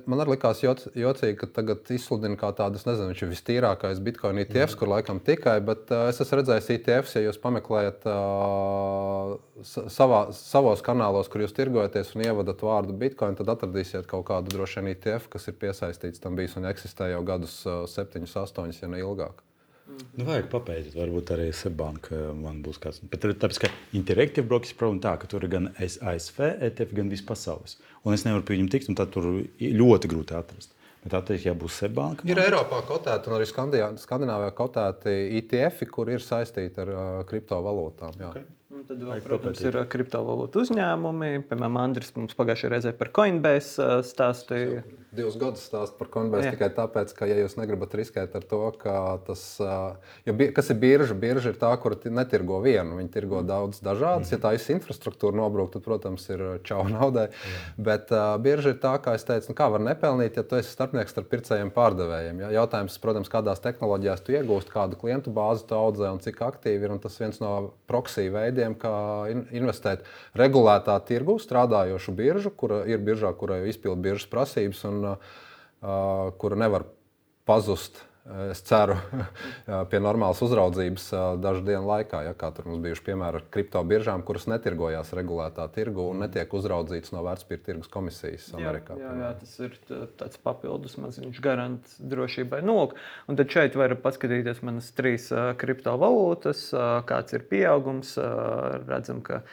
man arī likās joc, jocīgi, ka tagad izsludina kā tādu, es nezinu, viņš ir vistīrākais Bitcoin E T Fs, mm. kur laikam tikai, bet es esmu redzējis E T Fs, ja jūs pameklējat uh, savā, savos kanālos, kur jūs tirgojaties un ievadat vārdu Bitcoin, tad atradīsiet kaut kādu droši vien E T F, kas ir piesaistīts tam bijis un eksistē jau gadus septiņus, astoņus, ja ne ilgāk. Nu, vajag papētīt, varbūt arī Seibanka man būs kāds. Bet tāpēc, ka Interactive Brokers problēma tā, ka tur ir gan A S V E T F, gan viss pasaules. Un es nevaru pie viņiem tikt, un tad tur ļoti grūti atrast. Bet atteikti, ja būs Seibanka. Ir Eiropā kotēti un arī Skandināvijā kotēti E T F, kur ir saistīti ar uh, kriptovalūtām. Jā. Okay. Un tad, vēl, protams, ir kriptovalūtu uzņēmumi. Piemēram, Andris mums pagājušajā reizē par Coinbase stāstīja. Divus gadus stāst par Coinbase Jā. tikai tāpēc, ka, ja jūs negribat riskēt ar to, ka tas, jo, kas ir birža, birža ir tā, kur netirgo vienu, viņi tirgo daudz dažādas. Ja tā visa infrastruktūra nobrūk, tad, protams, ir čau naudai. Jā. Bet uh, birža ir tā, kā es teicu, nu, kā var nepelnīt, ja tu esi starpnieks starp pircējiem pārdevējiem. Ja? Jautājums, protams, kādās tehnoloģijās tu iegūst, kādu klientu bāzi tu audzē un cik aktīvi ir, un tas viens no proxy veidiem, kā investēt regulētā tirgu, strādājošu biržu, kura ir biržā, kura izpild biržas prasības un uh, kura nevar pazust, es ceru, pie normālas uzraudzības dažu dienu laikā. Ja, kā tur mums bijuši piemēri ar kripto biržām, kuras netirgojās regulētā tirgu un netiek uzraudzītas no vērtspapīra tirgus komisijas Amerikā. Jā, jā, tas ir tāds papildus maziņš garants drošībai. Nu, un tad šeit var paskatīties manas trīs kriptovalūtas, kāds ir pieaugums. Redzam, ka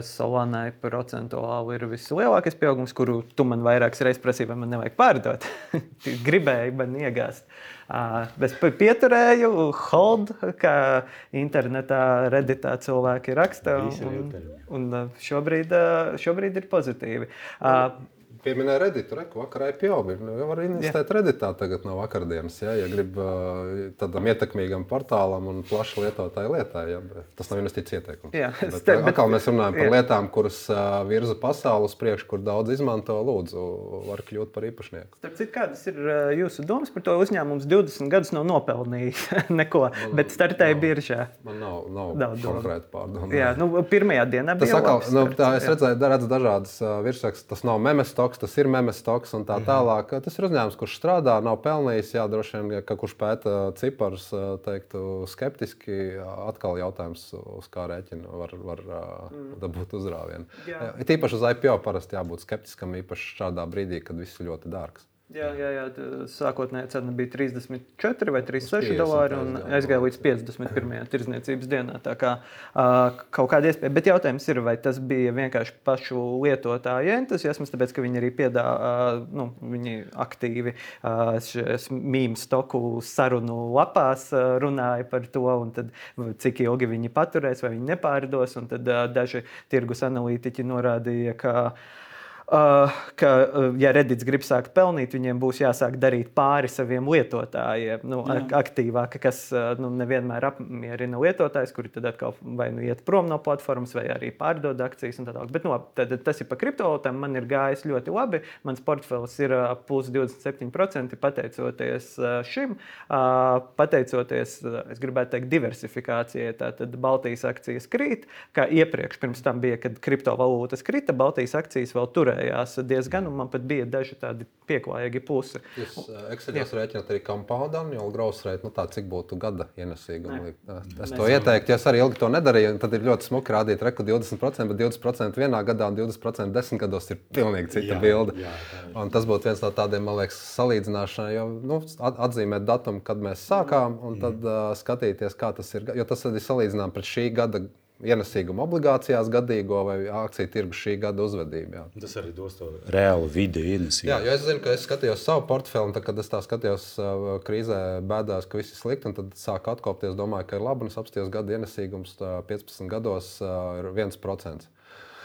Solanai procentuāli ir vislielākais pieaugums, kuru tu man vairākas reizes prasīji, vai man nevajag pārdot. Gribēji man iegāst. Es pieturēju, hold, kā internetā, Redditā cilvēki raksta, un, un šobrīd, šobrīd ir pozitīvi. Pieminēja Redditu, reku, vakarā I P O. Var investēt Redditā tagad no vakardienas, ja, ja grib tādam ietekmīgam portālam un plaši lietotāju lietai. Ja, tas nav investīcija ieteikums. Jā, bet, te, bet, atkal mēs runājam par jā. lietām, kuras virza pasauli uz priekšu, kur daudz izmanto, lūdzu, var kļūt par īpašnieku. Starp citu, kādas ir jūsu domas par to? Uzņēmums divdesmit gadus nav nopelnījis neko, man, bet startēja nav, biržā. Man nav, nav, nav konkrēti pārdomu. Jā, nu, pirmajā dienā tas bija atkal, labs nu, starts, tā, es redzēju, redzu dažādas uh, virsrakstus, tas nav memes stoks, tas ir memes stoks un tā tālāk. Tas ir uzņēmums, kurš strādā, nav pelnījis, jā, droši vien, ka kurš pēta ciparus, teiktu, skeptiski, atkal jautājums, uz kā rēķina var, var mm. dabūt uzrāvienu. Jā. Tīpaši uz I P O parasti jābūt skeptiskam, īpaši šādā brīdī, kad viss ir ļoti dārgs. Jā, jā, jā. Sākotnējā cena bija trīsdesmit četri vai trīsdesmit seši dolāri un aizgāja līdz piecdesmit pirmajā tirdzniecības dienā. Tā kā uh, kaut kāda iespēja. Bet jautājums ir, vai tas bija vienkārši pašu lietotāju entuziasms, tāpēc, ka viņi arī piedāvā, uh, nu, viņi aktīvi uh, mīmu stoku sarunu lapās uh, runāja par to, un tad cik ilgi viņi paturēs vai viņi nepārdos, un tad uh, daži tirgus analītiķi norādīja, ka Uh, ka, uh, ja Reddits grib sākt pelnīt, viņiem būs jāsāk darīt pāri saviem lietotājiem, nu, ak aktīvāk, kas uh, nu, nevienmēr apmierina lietotājs, kuri tad atkal vai nu iet prom no platformas, vai arī pārdod akcijas un tā tālāk. Bet nu, tad, tas ir pa kriptovalūtām, man ir gājis ļoti labi. Mans portfels ir uh, plus divdesmit septiņi procenti pateicoties uh, šim, uh, pateicoties, uh, es gribētu teikt, diversifikācijai. Tātad Baltijas akcijas krīt, kā iepriekš pirms tam bija, kad kriptovalūtas krita, Baltijas akcijas vēl turējās diezgan, un man pat bija daži tādi pieklājīgi pusi. Jūs Exceļos rēķināt arī compound annual growth rate, nu tā, cik būtu gada ienesīguma. Es to ieteiktu, ja es arī ilgi to nedarīju, tad ir ļoti smuki rādīt reku divdesmit procenti, bet divdesmit procenti vienā gadā un divdesmit procenti desmit gados ir pilnīgi cita jā, bilde. Jā, jā, jā. Un tas būtu viens no tādiem, man liekas, salīdzināšanai, jo nu, atzīmēt datumu, kad mēs sākām, un tad uh, skatīties, kā tas ir, jo tas ir salīdzinām pret šī gada ienesīgumu obligācijās gadīgo vai akciju tirgu šī gada uzvedību. Jā. Tas arī dos to reālu vidi ienesīgumu. Jā, jo es zinu, ka es skatījos savu portfeli, un tad, kad es tā skatījos uh, krīzē, bēdās, ka viss ir slikti, un tad sāku atkopties, domāju, ka ir labi, un es apstījos gada ienesīgums piecpadsmit gados uh, ir viens procents.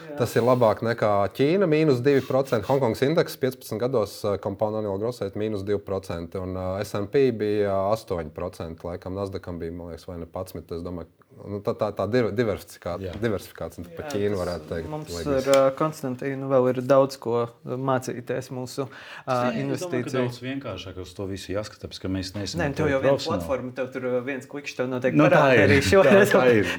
Jā. Tas ir labāk nekā Ķīna, mīnus divi procenti, Hongkongas indeks piecpadsmit gados compound annual growth rate mīnus divi procenti, un uh, S and P bija astoņi procenti, laikam Nasdaqam bija, man liekas, vai ne padsmit, es domāju, nu, tā, tā, tā diversifikācija, diversifikācija pa Ķīnu varētu teikt. Mums ar uh, Konstantīnu vēl ir daudz ko mācīties mūsu uh, investīciju. Es domāju, ka daudz vienkāršāk uz to visu jāskatās, ka mēs neesam Nē, tev jau viens platforma, tev tur viens klikšķi, tev noteikti no, parāda arī šo. Tā, tā ir.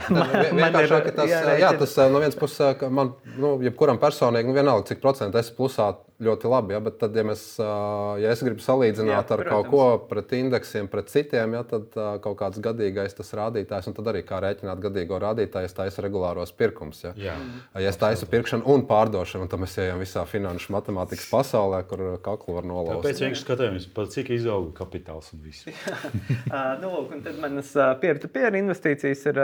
Vienkāršāk, ka tas, jā, tas no vienas puses, ka man, nu, jebkuram personīgi, nu, vienalga, cik procentu es plusā ļoti labi, ja, bet tad, ja, mēs, ja es gribu salīdzināt jā, ar protams. Kaut ko pret indeksiem, pret citiem, ja, tad kaut kāds gadīgais tas rādītājs, un tad arī kā rēķināt gadīgo rādītāju, es taisu regulāros pirkums. Ja, jā, ja es taisu pirkšanu un pārdošanu, un tad mēs ejam visā finanšu matemātikas pasaulē, kur kaklu var nolauzt. Pēc vienkārši skatāmies, cik izauga kapitāls un viss. nu, lūk, un tad manas peer-to-peer investīcijas ir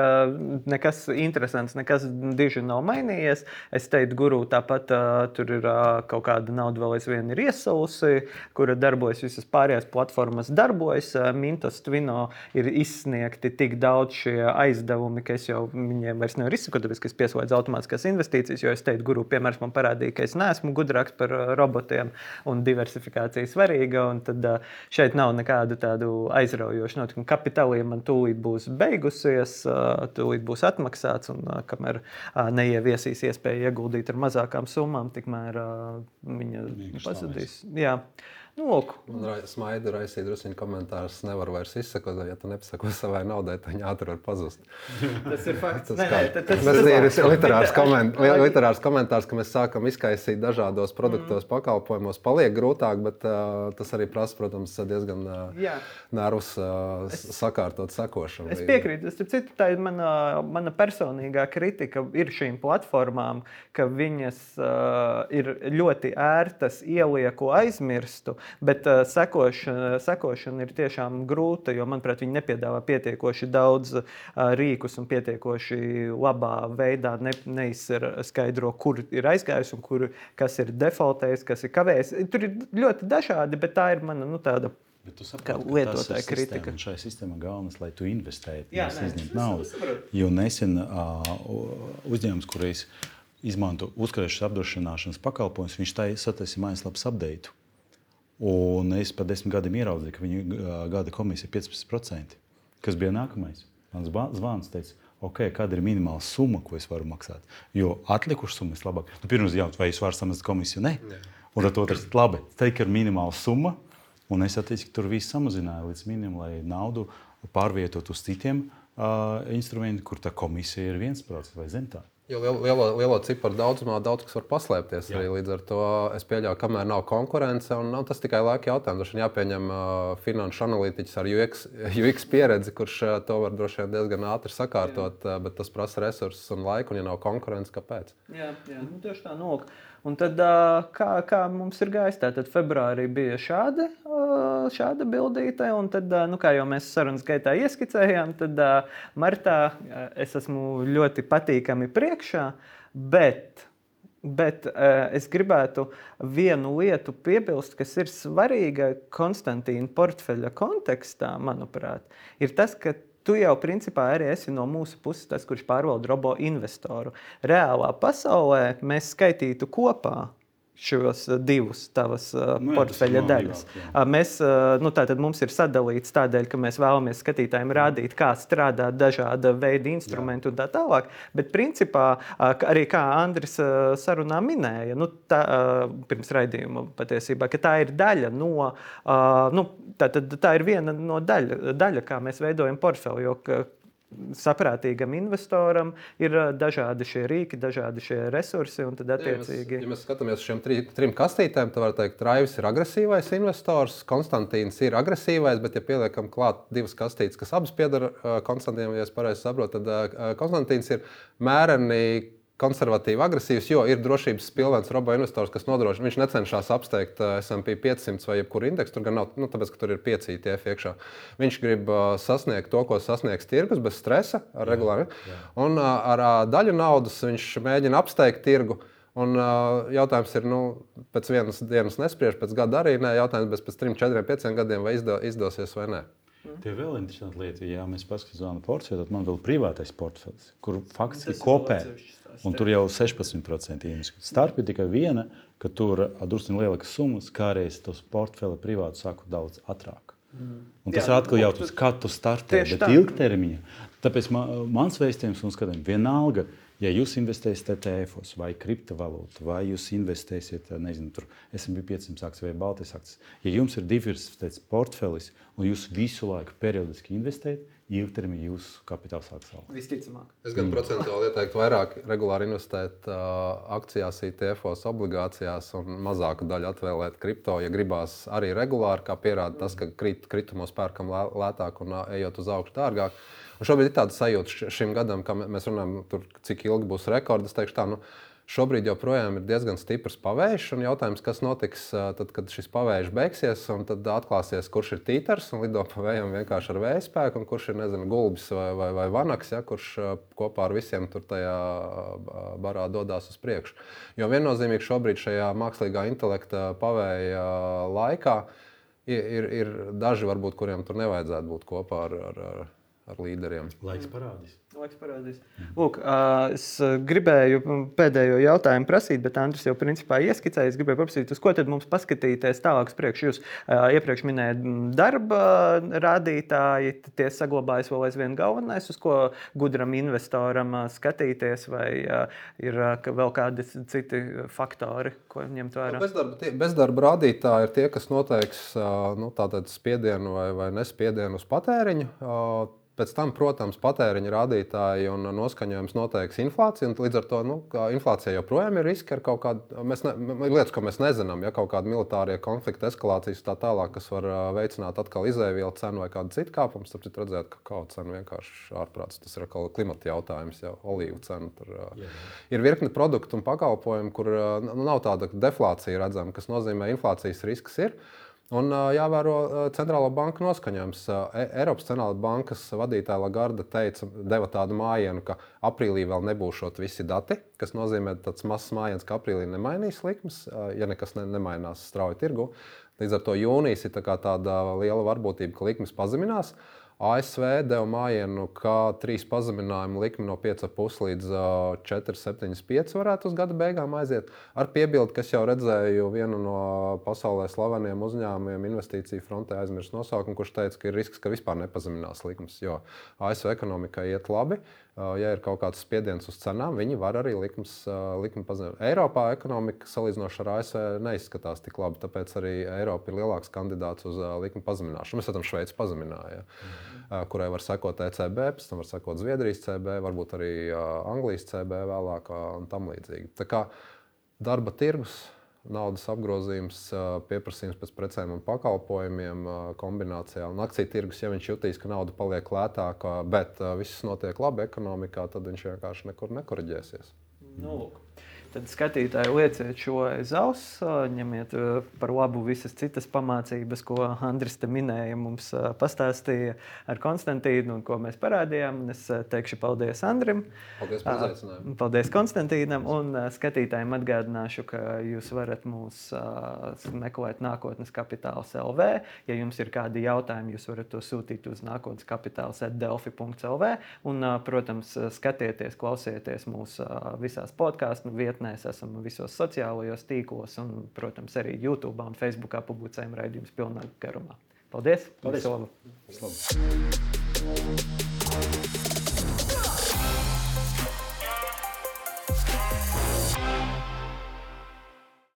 nekas interesants, nekas diži nav mainījies. Es teiktu, Guru tāpat tur ir kaut kāda nauda vēl aizvien ir iesalusi, kura darbojas, visas pārējās platformas darbojas. Mintos Twino ir izsniegti tik daudz šie aizdevumi, ka es jau viņiem vairs nevaru izsakot, tāpēc, ka es pieslēdzu automātiskās investīcijas, jo es teicu, Guru piemērs man parādīja, ka es neesmu gudrāks par robotiem un diversifikācija svarīga, un tad šeit nav nekādu tādu aizraujošu notikumu. Kapitālija man tūlīt būs beigusies, tūlīt būs atmaksāts, un kamēr neieviesīs iespēju ieguldīt ar mazākām summām, tikmēr viņa pazudīs. Jā. Nu, lūk. Man smaidu raisīt druskuņi komentārus, nevaru vairs izsakot, ja tu nepasako savai naudai, tad viņa ātri var pazust. Tas ir fakts. Tas, nē, kā, nē, tas tas ir literārs, koment, literārs komentārs, ka mēs sākam izkaisīt dažādos produktos, mm. pakalpojumos, paliek grūtāk, bet uh, tas arī prasa, protams, diezgan uh, nervus uh, es, sakārtot sakošanu. Es piekrītu. Es citu, tā ir mana, mana personīgā kritika ir šīm platformām, ka viņas uh, ir ļoti ērtas, ielieku, aizmirstu. Bet uh, sekošana, sekošana ir tiešām grūta, jo, manuprāt, viņi nepiedāvā pietiekoši daudz uh, rīkus un pietiekoši labā veidā ne, neizskaidro, kur ir aizgājis un kur, kas ir defaultējis, kas ir kavējis. Tur ir ļoti dažādi, bet tā ir mana nu, tāda saprot, lietotāja kritika. Šai sistēmai galvenais, lai tu investētu, Jā, nevis izņemt naudu. Jo nesen uh, uzņēmums, kurais izmanto uzkrājušas apdrošināšanas pakalpojumus, viņš tā sataisa mājaslapas update. Un es pa desmit gadiem ieraudzīju, ka viņa gada komisija ir piecpadsmit procenti. Kas bija nākamais? Mans zvans teica, ok, kāda ir minimāla summa, ko es varu maksāt? Jo atlikušu summu es labāk. Nu, pirms jautāt, vai es varu samazināt komisiju? Nē. Ne. Un tad otrs, labi, teikt, ka ir minimāla summa, un es atteicu, ka tur viss samazināja līdz minimum, lai naudu pārvietot uz citiem uh, instrumentiem, kur tā komisija ir viens procents vai zem tā. Jo lielo, lielo ciparu daudzumā daudz kas var paslēpties. Jā. Arī līdz ar to es pieļauju, kamēr nav konkurence, un nav tas tikai laika jautājums. Droši vien jāpieņem uh, finanšu analītiķis ar U X, U X pieredzi, kurš uh, to var droši vien diezgan ātri sakārtot, uh, bet tas prasa resursus un laiku, un ja nav konkurence, kāpēc? Jā, jā. Nu, tieši tā nolūk. Un tad, kā, kā mums ir gājis, tātad februārī bija šāda, šāda bildīte, un tad, nu, kā jau mēs sarunas gaitā ieskicējām, tad martā es esmu ļoti patīkami priekšā, bet, bet es gribētu vienu lietu piebilst, kas ir svarīga Konstantīna portfeļa kontekstā, manuprāt, ir tas, ka tu jau principā arī esi no mūsu puses tas, kurš pārvalda robo investoru. Reālā pasaulē mēs skaitītu kopā šos divus tavas uh, Nu jā, portfeļa tas ir daļas. novīvāk, jā. Uh, mēs, uh, nu, tātad mums ir sadalīts tādēļ, ka mēs vēlamies skatītājiem rādīt, kā strādā dažāda veida instrumenti jā. Un tā tālāk, bet principā uh, arī kā Andris uh, sarunā minēja, nu, tā, uh, pirms raidījuma patiesībā, ka tā ir daļa no, uh, nu, tā, tad, tā ir viena no daļa, daļa, kā mēs veidojam portfeli, jo ka, saprātīgam investoram ir dažādi šie rīki, dažādi šie resursi, un tad attiecīgi... Ja mēs, ja mēs skatāmies uz šiem tri, trim kastītēm, tad var teikt, Raivis ir agresīvais investors, Konstantīns ir agresīvais, bet ja pieliekam klāt divas kastītes, kas abas piedara Konstantīnam, ja es pareizi saprotu, tad Konstantīns ir mēreni konservatīvi agresīvs, jo ir drošības pilvens robo-investors, kas nodrošina. Viņš necenšas apsteigt S and P piecsimt vai jebkuru indeksu, tur gan nav, nu, tāpēc, ka tur ir pieci E T F iekšā. Viņš grib uh, sasniegt to, ko sasniegs tirgus, bez stresa, ar regulāri. Un uh, ar uh, daļu naudas viņš mēģina apsteigt tirgu. Un uh, jautājums ir, nu, pēc vienas dienas nespriež, pēc gada arī nē, jautājums, bet pēc trim, četriem, pieciem gadiem vai izdo, izdosies vai nē. Tie vēl ir interesanti lieta, ja mēs paskatāmies portfeli, tad man vēl privātais portfelis, kur faktiski kopē, un tur jau sešpadsmit procenti iemesli. Starp ir tikai viena, ka tur drusku lielākas summas, kā arī tos portfeli privāti sāku daudz ātrāk. Mm. Un tas Jā, ir atkal jautājums, kā tu startē, bet tā. Ilgtermiņā. Tāpēc man, mans vēstījums un skatījums vienalga, ja jūs investēsiet E T F-os vai kriptovalūtu, vai jūs investēsiet, nezinu, tur S and P piecsimt akcijas vai Baltijas akcijas, ja jums ir diversificēts portfelis un jūs visu laiku periodiski investējat, ilgtermiņā jūsu kapitāls sāks augt. Visticamāk. Es gan mm. procentuāli ieteiktu vairāk regulāri investēt uh, akcijās, E T F-os, obligācijās un mazāku daļu atvēlēt kripto, ja gribās arī regulāri, kā pierāda tas, ka krit, kritumos pērkam lē, lētāk un uh, ejot uz augšu dārgāk. Un šobrīd ir tāda sajūta šim gadam, ka mēs runājam, tur, cik ilgi būs rekords. Es teikšu tā, nu, šobrīd joprojām ir diezgan stiprs pavējš, un jautājums, kas notiks tad, kad šis pavējš beigsies, un tad atklāsies, kurš ir tītars un lido pa vējam vienkārši ar vēja spēku, un kurš ir, nezinu, gulbis vai, vai, vai vanaks, ja, kurš kopā ar visiem tur tajā barā dodās uz priekšu. Jo viennozīmīgi šobrīd šajā mākslīgā intelekta pavēja laikā ir, ir, ir daži, varbūt, kuriem tur nevajadzētu būt kopā ar, ar, ar ar līderiem. Laiks parādīs. Laiks parādīs. Lūk, es gribēju pēdējo jautājumu prasīt, bet Andris jau principā ieskicēja. Es gribēju paprasīt, uz ko tad mums paskatīties tālāk priekš. Jūs iepriekš minējāt darba rādītāji, tie saglabājas vēl aizvien galvenais, uz ko gudram investoram skatīties, vai ir vēl kādi citi faktori, ko ņemt vērā? Bezdarba, tie, bezdarba rādītāji ir tie, kas noteiks nu, tātad spiedienu vai, vai nespiedienu uz patēriņu. Pēc tam, protams, patēriņa rādītāji un noskaņojums noteiks inflāciju. Līdz ar to nu, inflācija joprojām ir riski ar kaut kādu mēs ne, lietas, ko mēs nezinām. Ja kaut kāda militārie konflikta eskalācijas tā tālāk, kas var veicināt atkal izēvielu cenu vai kādu citu kāpumu. Tāpēc redzēt, ka kaut cena vienkārši ārprāts. Tas ir atkal klimata jautājums, ja olīvu cena. Tur jā. Ir virkne produktu un pakalpojumu, kur nu, nav tāda deflācija redzama, kas nozīmē inflācijas risks ir. Un jāvēro centrālā banka noskaņojums. Eiropas centrālā bankas vadītāja Lagarde teica, deva tādu mājienu, ka aprīlī vēl nebūšot visi dati, kas nozīmē, ka tāds mazs mājiens, ka aprīlī nemainīs likmes, ja nekas ne, nemainās strauji tirgu. Līdz ar to jūnijas ir tā kā tāda liela varbūtība, ka likmes pazeminās. A S V deva mājienu, ka trīs pazeminājumu likmi no pieci komats pieci līdz četri komats septiņdesmit pieci varētu uz gada beigām aiziet. Ar piebildi, kas jau redzēju vienu no pasaulē slaveniem uzņēmumiem, investīciju frontē aizmirst nosaukumu, kurš teica, ka ir risks, ka vispār nepazeminās likmes, jo A S V ekonomikai iet labi. Ja ir kaut kāds spiediens uz cenām, viņi var arī likmes, likmi pazemināt. Eiropā ekonomika salīdzinoši ar A S V neizskatās tik labi, tāpēc arī Eiropa ir lielāks kandidāts uz likmi pazemināšanu. Mēs, protams, Šveici pazemināja, mm. kurai var sekot E C B, pēc tam var sekot Zviedrijas C B, varbūt arī Anglijas C B vēlāk un tam līdzīgi. Tā kā darba tirgus, naudas apgrozījums, pieprasījums pēc precēm un pakalpojumiem kombinācijā un akciju tirgus, ja viņš jutīs, ka nauda paliek lētāka, bet viss notiek labi ekonomikā, tad viņš vienkārši nekur nekoriģēsies. Nu, lūk. Tad skatītāji lieciet šo aiz auss, ņemiet par labu visas citas pamācības, ko Andris te minēja, mums pastāstīja ar Konstantīnu un ko mēs parādījām. Es teikšu paldies Andrim. Paldies par uzaicinājumu. Paldies Konstantīnam un skatītājiem atgādināšu, ka jūs varat mūs meklēt Nākotnes Kapitāls L V. Ja jums ir kādi jautājumi, jūs varat to sūtīt uz nākotnes kapitāls at delfi punkts L V un, protams, skatieties, klausieties mūs visās podcastu vietnēs lietotnēs, esam visos sociālajos tīklos un, protams, arī YouTube un Facebookā publicējam raidījumus pilnā garumā. Paldies! Paldies! Visu labu! Visu labu.